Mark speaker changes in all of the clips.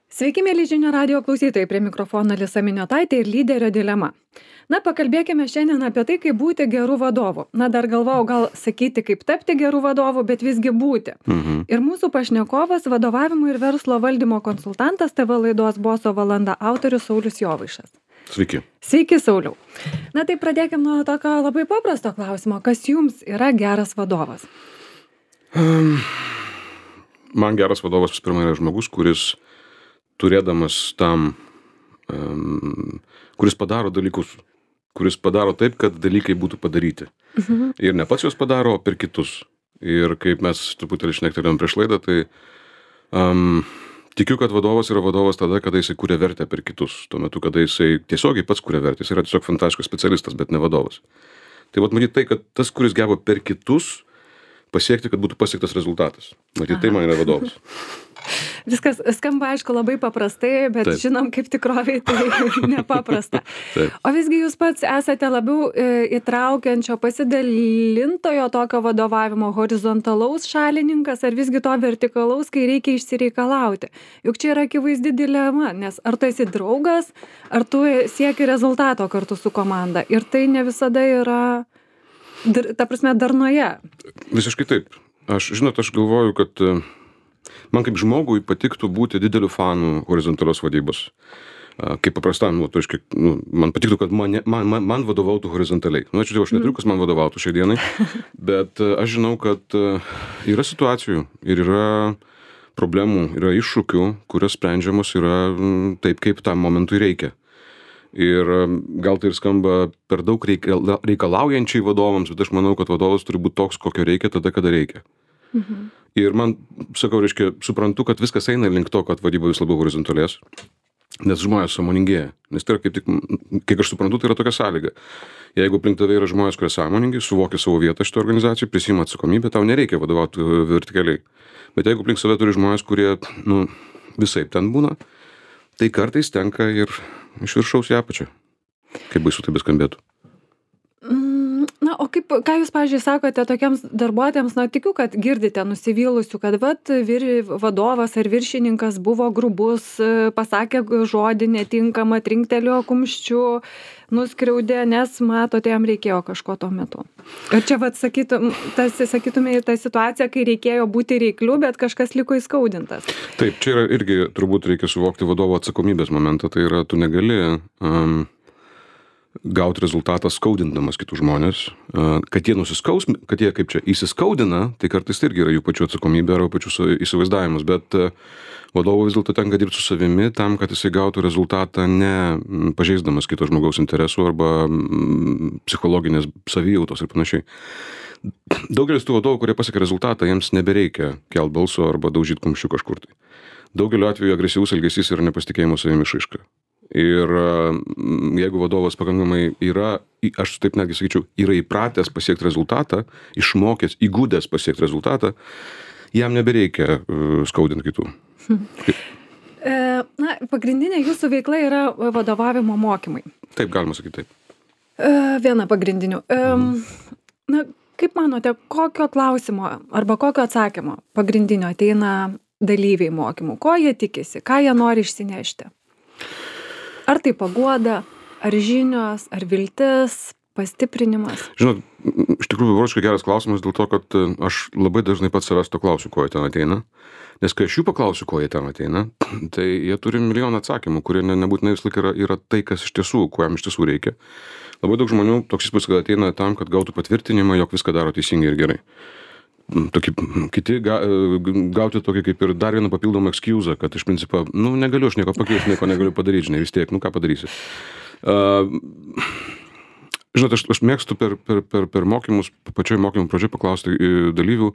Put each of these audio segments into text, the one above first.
Speaker 1: Sveiki, mėly žinių radio klausytojai, prie mikrofono Alisa Miniotaitė ir lyderio dilema. Na, pakalbėkime šiandien apie tai, kaip būti gerų vadovų. Na, dar galvojau gal sakyti, kaip tapti gerų vadovų, bet visgi būti. Ir mūsų pašnekovas, vadovavimo ir verslo valdymo konsultantas, TV laidos Boso valanda autorius Saulius Jovaišas.
Speaker 2: Sveiki.
Speaker 1: Sveiki, Sauliau. Na, tai pradėkime nuo tokio labai paprasto klausimo. Kas jums yra geras vadovas?
Speaker 2: Man geras vadovas vis pirma yra žmogus, kuris turėdamas tam, kuris padaro dalykus, kuris padaro taip, kad dalykai būtų padaryti. Ir ne pats juos padaro, o per kitus. Ir kaip mes truputėlį šnektelėjom prieš laidą, tai tikiu, kad vadovas yra vadovas tada, kada jisai kuria vertę per kitus. Tuo metu, kada jisai tiesiogiai pats kuria vertę, jis yra tiesiog fantastiškas specialistas, bet ne vadovas. Tai matyt tai, kad tas, kuris geba per kitus pasiekti, kad būtų pasiektas rezultatas. Matyt, tai man yra vadovas.
Speaker 1: Viskas skamba, aišku, labai paprastai, bet Taip. Žinom, kaip tikroviai tai nepaprasta.
Speaker 2: Taip.
Speaker 1: O visgi jūs pats esate labiau įtraukiančio, pasidalintojo tokio vadovavimo, horizontalaus šalininkas, ar visgi to vertikalaus, kai reikia išsireikalauti. Juk čia yra akivaizdi dilema, nes ar tu esi draugas, ar tu sieki rezultato kartu su komanda. Ir tai ne visada yra, ta prasme, darnoje.
Speaker 2: Visiškai taip. Aš galvoju, kad man kaip žmogui patiktų būti dideliu fanu horizontalios vadybos. Kaip paprastam, man patiktų, kad man vadovautų horizontaliai. Aš neturiu, kas man vadovautų šiai dienai, bet aš žinau, kad yra situacijų ir yra problemų, yra iššūkių, kurios sprendžiamos yra taip, kaip tam momentui reikia. Ir gal tai ir skamba per daug reikalaujančiai vadovams, bet aš manau, kad vadovas turi būti toks, kokio reikia tada, kada reikia. Ir man, suprantu, kad viskas eina link to, kad vadyba vis labiau horizontalės, nes žmonės sąmoningėja. Nes tai yra kaip tik, kiek aš suprantu, tai yra tokia sąlyga. Jeigu aplink tave yra žmonės, kurie sąmoningi, suvokia savo vietą šito organizacijai, prisima atsakomybę, tau nereikia vadovauti vertikaliai. Bet jeigu aplink save turi žmonės, kurie, visaip ten būna, tai kartais tenka ir iš viršaus į apačią. Kaip baisu tai beskambėtų.
Speaker 1: Na, o ką jūs, pavyzdžiui, sakote tokiems darbuotojams, tikiu, kad girdite nusivylusių, kad vadovas ar viršininkas buvo grubus, pasakė žodį netinkamą, trinktelėjo kumščiu, nuskriaudė, nes matote, jam reikėjo kažko tuo metu. Ir čia, sakytume, ta situacija, kai reikėjo būti reikliu, bet kažkas liko įskaudintas.
Speaker 2: Taip, čia yra irgi turbūt reikia suvokti vadovo atsakomybės momentą, tai yra, tu negali gauti rezultatą skaudindamas kitus žmonės, kad jie įsiskaudina, tai kartais irgi yra jų pačių atsakomybė arba pačių įsivaizdavimas, bet vadovo vis dėlto tenka dirbti su savimi tam, kad jisai gautų rezultatą ne pažeisdamas kito žmogaus interesų arba psichologinės savijautos ir panašiai. Daugelis tų vadovų, kurie pasiekia rezultatą, jiems nebereikia kelt balso arba daužyti kumščių kažkur tai. Daugeliu atveju agresyvus elgesys yra nepasitikėjimo savimi išraiška. Ir jeigu vadovas pakankamai yra, aš taip netgi sakyčiau, yra įpratęs pasiekti rezultatą, išmokęs, įgudęs pasiekti rezultatą, jam nebereikia skaudinti kitų.
Speaker 1: Na, pagrindinė jūsų veikla yra vadovavimo mokymai.
Speaker 2: Taip, galima sakyti taip.
Speaker 1: Viena pagrindinių. Na, kaip manote, kokio klausimo arba kokio atsakymo pagrindinio ateina dalyviai mokymų? Ko jie tikisi? Ką jie nori išsinešti? Ar tai paguoda, ar žinios, ar viltis, pastiprinimas?
Speaker 2: Žinot, iš tikrųjų, vairuoškai geras klausimas dėl to, kad aš labai dažnai pats savęs to klausiu, ko jie ten ateina. Nes kai aš jų paklausiu, ko jie ten ateina, tai jie turi milijoną atsakymų, kurie nebūtinai vis laik yra tai, kas iš tiesų, ko jam iš tiesų reikia. Labai daug žmonių toks įspūdis, kad ateina tam, kad gautų patvirtinimą, jog viską daro teisingai ir gerai. Kiti gauti tokį kaip ir dar vieną papildomą excuse, kad iš principo, negaliu aš nieko pakeisti, nieko negaliu padaryti, vis tiek, ką padarysi. Žinot, aš mėgstu per mokymus, pačioj mokymų pradžioj paklausti dalyvių,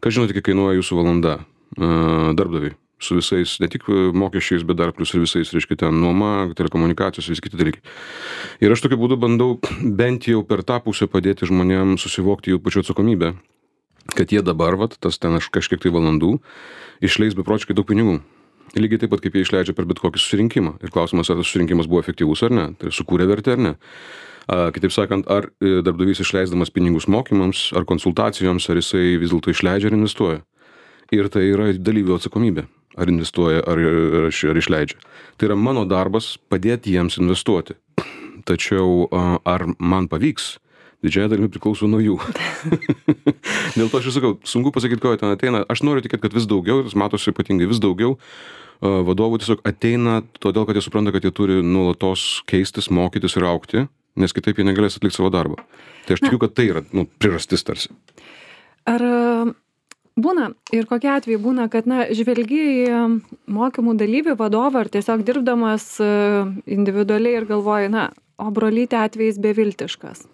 Speaker 2: kas žinote, kiek kainuoja jūsų valanda darbdaviui, su visais, ne tik mokesčiais, bet dar plus ir visais, reiškia, ten nuoma, telekomunikacijos, visi kiti dalykai. Ir aš tokiu būdu bandau bent jau per tą pusę padėti žmonėms susivokti jų pačių atsakomybę, kad jie dabar, tas ten kažkiek tai valandų, išleis beprotiškai daug pinigų. Lygiai taip pat, kaip jie išleidžia per bet kokį susirinkimą. Ir klausimas, ar tas susirinkimas buvo efektyvus ar ne, tai sukūrė vertę ar ne. Kitaip sakant, ar darbdavys išleisdamas pinigus mokymams, ar konsultacijoms, ar jisai vis dėlto išleidžia ir investuoja. Ir tai yra dalyvių atsakomybė. ar investuoja, ar išleidžia. Tai yra mano darbas padėti jiems investuoti. Tačiau ar man pavyks, didžiąją dalimi priklauso nuo jų. Dėl to aš ir sakau, sunku pasakyti, ko ten ateina. Aš noriu tikėti, kad vis daugiau, ir matosi ypatingai vis daugiau vadovų tiesiog ateina todėl, kad jie supranta, kad jie turi nuolatos keistis, mokytis ir augti, nes kitaip jie negalės atlikti savo darbą. Tai aš tikiu, kad tai yra priežastis tarsi.
Speaker 1: Ar būna ir kokie atvejai būna, kad žvelgi į mokymų dalyvį, vadovą, ar tiesiog dirbdamas individualiai ir galvoji, o brolytė atvejais beviltiškas.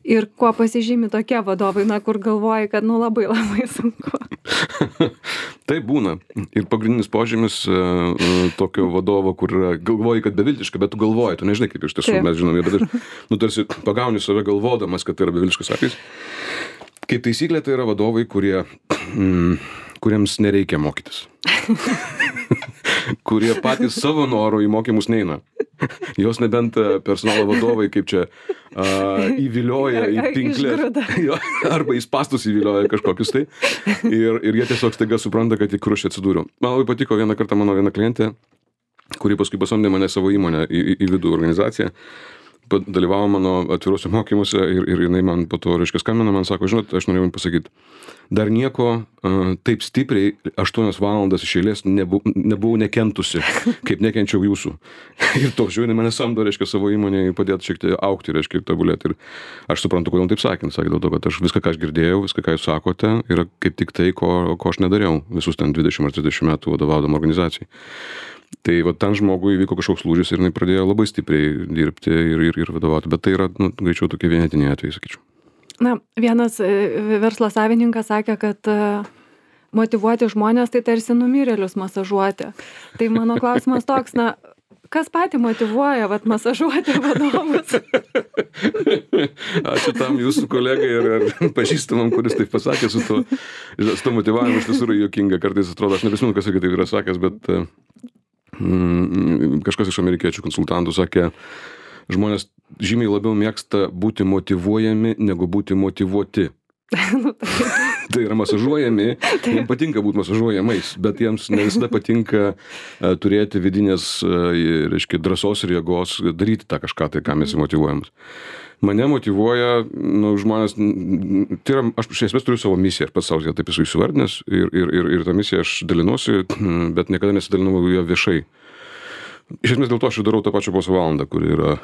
Speaker 1: Ir kuo pasižymi tokie vadovai, kur galvoji, kad labai labai sunku.
Speaker 2: Tai būna. Ir pagrindinis požymis tokio vadovo, kur galvoji, kad beviltiška, bet tu galvoji, tu nežinai, kaip iš tiesų mes žinome, bet tarsi pagauni save galvodamas, kad tai yra beviltiškas atvejis. Kaip taisyklė, tai yra vadovai, kuriems nereikia mokytis. Kurie patys savo norų į mokymus neina. Jos nebent personalo vadovai kaip čia įvilioja į pinklės, arba į spastus įvilioja kažkokius tai. Ir jie tiesiog staiga supranta, kad į krušį atsidūriau. Man labai patiko vieną kartą mano viena klientė, kuri paskui pasamdė mane savo įmonę į vidų organizaciją. Dalyvavo mano atviruose mokymuose ir jinai man po to, skambina, man sako, žinot, aš norėjau jums pasakyti, dar nieko taip stipriai 8 valandas iš eilės nebuvau nekentusi, kaip nekenčiau jūsų. Ir to žiūrėjau, mane samdo, savo įmonėje padėti šiek tiek augti, ir tobulėti. Ir aš suprantu, kodėl taip sakė. Sakė dėl to, kad aš viską, ką aš girdėjau, viską, ką jūs sakote, yra kaip tik tai, ko aš nedariau visus ten 20 ar 30 metų vadovaudama organizacijai. Tai va ten žmogui įvyko kažkoks lūžis ir jinai pradėjo labai stipriai dirbti ir vadovauti, bet tai yra greičiau tokie vienetiniai atvejai, sakyčiau.
Speaker 1: Vienas verslo savininkas sakė, kad motyvuoti žmonės tai tarsi numirėlius masažuoti. Tai mano klausimas toks, kas patį motyvuoja masažuoti vadovus?
Speaker 2: Ačiū tam jūsų kolegai ir pažįstamam, kuris taip pasakė su to motyvavimu, iš tiesų yra juokinga. Kartais atrodo, aš neprisimenu, kas taip yra sakęs, bet kažkas iš amerikiečių konsultantų sakė, žmonės žymiai labiau mėgsta būti motyvuojami, negu būti motyvuoti. Tai yra masažuojami, jiems patinka būti masažuojamais, bet jiems ne visada patinka turėti vidinės, drąsos ir jėgos daryti tą kažką, tai ką mes motyvuojamas. Mane motyvuoja, žmonės, tai yra, aš iš esmės turiu savo misiją, ir pats savo taip esu įsivardinęs, ir tą misiją aš dalinuosi, bet niekada nesidalinau ją viešai. Iš esmės dėl to aš ir darau tą pačią posą valandą, kuri yra,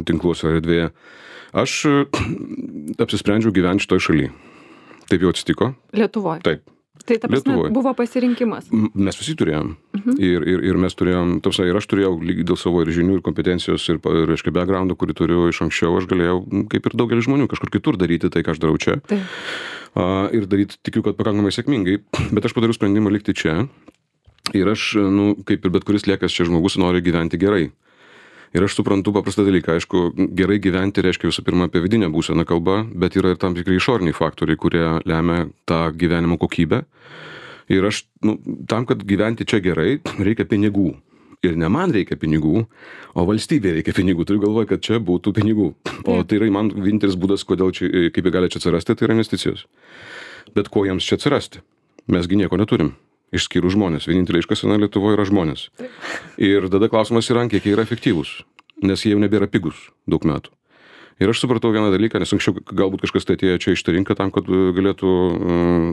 Speaker 2: tinkluose erdvėje. Aš apsisprendžiau gyventi šitoj šaly. Taip jau atsitiko.
Speaker 1: Lietuvoje?
Speaker 2: Taip.
Speaker 1: Tai ta prasme buvo pasirinkimas?
Speaker 2: Mes visi turėjom. Ir mes turėjom, ir aš turėjau lygiai dėl savo ir žinių, ir kompetencijos, ir backgroundų, kurį turiu iš anksčiau, aš galėjau, kaip ir daugelis žmonių, kažkur kitur daryti tai, ką aš darau čia.
Speaker 1: Taip.
Speaker 2: Ir daryti, tikiu, kad pakankamai sėkmingai, bet aš padariau sprendimą likti čia. Ir aš, kaip ir bet kuris liekas čia žmogus, nori gyventi gerai. Ir aš suprantu paprastą dalyką, aišku, gerai gyventi reiškia visų pirma apie vidinę būseną kalbą, bet yra ir tam tikrai išoriniai faktoriai, kurie lemia tą gyvenimo kokybę. Ir aš, tam, kad gyventi čia gerai, reikia pinigų. Ir ne man reikia pinigų, o valstybė reikia pinigų. Turiu galvoje, kad čia būtų pinigų. O tai yra man vienintelis būdas, kodėl čia, kaip jie gali čia atsirasti, tai yra investicijos. Bet ko jiems čia atsirasti? Mesgi nieko neturim. Išskyrus žmonės. Vienintelė iškasena Lietuvoje yra žmonės. Ir tada klausimas yra, kiek jie yra efektyvūs, nes jie jau nebėra pigus daug metų. Ir aš supratau vieną dalyką, nes anksčiau galbūt kažkas tai atėjo čia iš tą rinką tam, kad galėtų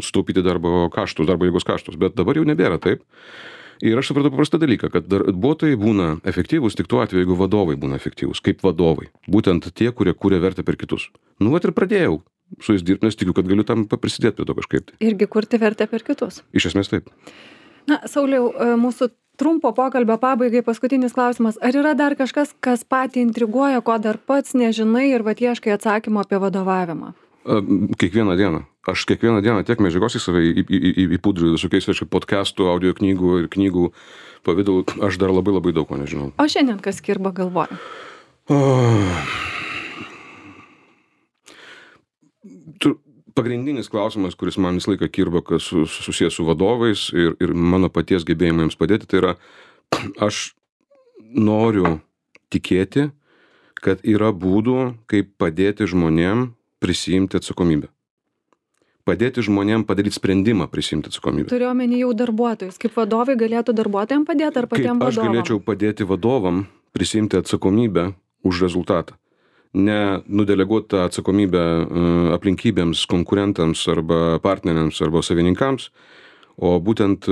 Speaker 2: sutaupyti darbo jėgos kaštus, bet dabar jau nebėra taip. Ir aš supratau paprastą dalyką, kad darbuotojai būna efektyvūs tik tuo atveju, jeigu vadovai būna efektyvūs, kaip vadovai. Būtent tie, kurie kūrė vertę per kitus. Ir pradėjau su jais dirbti, nes tikiu, kad galiu tam prisidėti prie to kažkaip.
Speaker 1: Irgi kurti vertę per kitus.
Speaker 2: Iš esmės taip.
Speaker 1: Sauliau, mūsų trumpo pokalbio pabaigai paskutinis klausimas. Ar yra dar kažkas, kas patį intriguoja, ko dar pats nežinai ir ieškai atsakymo apie vadovavimą?
Speaker 2: Kiekvieną dieną. Aš kiekvieną dieną tiek medžiagos į save įpudriu visokiais podcastų, audio knygų ir knygų pavidalų. Aš dar labai labai daug ko nežinau.
Speaker 1: O šiandien kas kirba galvoje?
Speaker 2: Pagrindinis klausimas, kuris man visą laiką kirba, kas susijęs su vadovais ir mano paties gebėjimą jiems padėti, tai yra, aš noriu tikėti, kad yra būdų, kaip padėti žmonėm prisiimti atsakomybę. padėti žmonėm padaryti sprendimą, prisiimti atsakomybę.
Speaker 1: Turiu omeny jau darbuotojus. Kaip vadovai galėtų darbuotojams padėti ar patiems
Speaker 2: Kaip aš
Speaker 1: vadovam?
Speaker 2: galėčiau padėti vadovam prisiimti atsakomybę už rezultatą. Ne nudeleguoti tą atsakomybę aplinkybėms, konkurentams arba partneriams arba savininkams, o būtent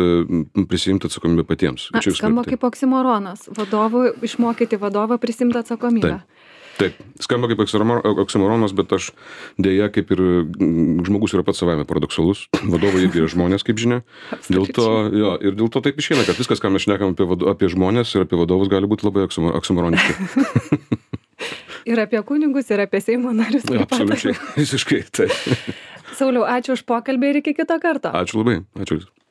Speaker 2: prisiimti atsakomybę patiems.
Speaker 1: Na, skamba kaip oksimoronas. Išmokyti vadovą prisiimti atsakomybę.
Speaker 2: Taip, skamba kaip oksimoronas, bet aš dėja, kaip ir žmogus yra pats savaime paradoksalus, vadovai irgi yra žmonės, kaip žinia. Dėl to taip išeina, kad viskas, ką mes šnekam apie žmonės ir apie vadovus, gali būti labai oksimoroniški.
Speaker 1: Ir apie kunigus, ir apie Seimo narius.
Speaker 2: Absoliučiai, visiškai. Tai.
Speaker 1: Sauliau, ačiū už pokalbį ir iki kito karto.
Speaker 2: Ačiū labai. Ačiū.